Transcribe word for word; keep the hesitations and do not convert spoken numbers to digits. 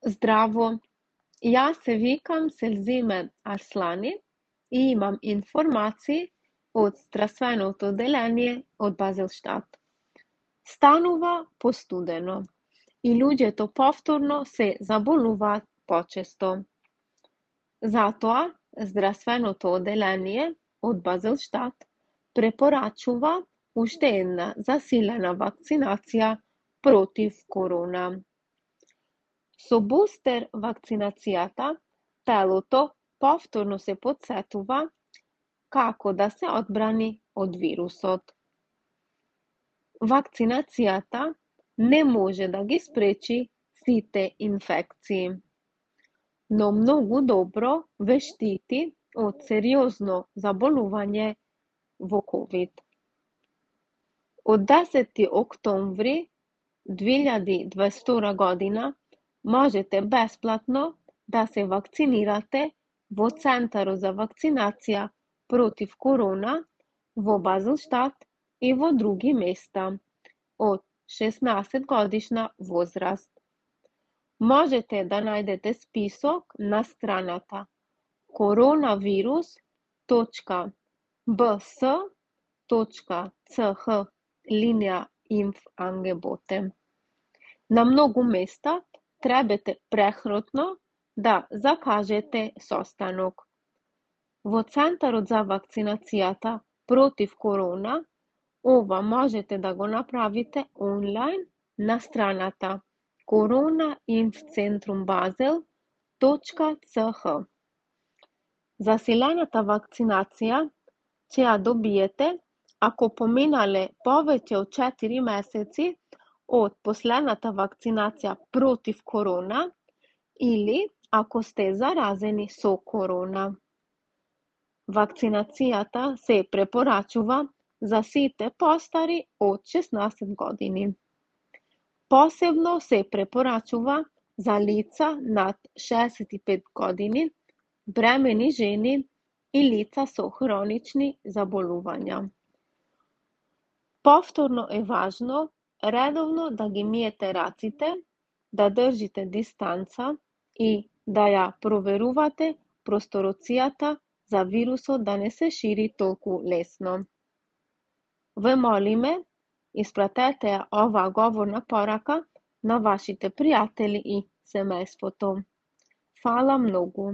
Здраво, јас се викам Селзиме Арслани и имам информации од здравственото одделение од Базелштат. Станува постудено и луѓето повторно се заболуваат почесто. Затоа, здравственото одделение од Базелштат препорачува уште една засилена вакцинација против корона. Со бустер вакцинацијата, телото повторно се потсетува како да се одбрани од вирусот. Вакцинацијата не може да ги спречи сите инфекции, но многу добро ве штити од сериозно заболување во ковид. Од десети октомври две илјади и дваесет и втора година можете бесплатно да се вакцинирате во Центарот за вакцинација против корона во Базелштат и во други места од шеснаесет годишна возраст. Можете да најдете список на страната коронавирус точка б с точка c h линија инф-ангеботе. На многу места требате прехротно да закажете состанок. Во Центарот за вакцинацијата против корона, ова можете да го направите онлайн на страната коронаинфцентруmbasel точка c h. Засилената вакцинација ќе ја добиете ако поминале повеќе од четири месеци од последната вакцинација против корона или ако сте заразени со корона. Вакцинацијата се препорачува за сите постари од шеснаесет години. Посебно се препорачува за лица над шеесет и пет години, бремени жени и лица со хронични заболувања. Повторно е важно редовно да ги миете раците, да држите дистанца и да ја проверувате простороцијата за вирусот да не се шири толку лесно. Ве молиме, испратете ја оваа говорна порака на вашите пријатели и семејството. Фала многу.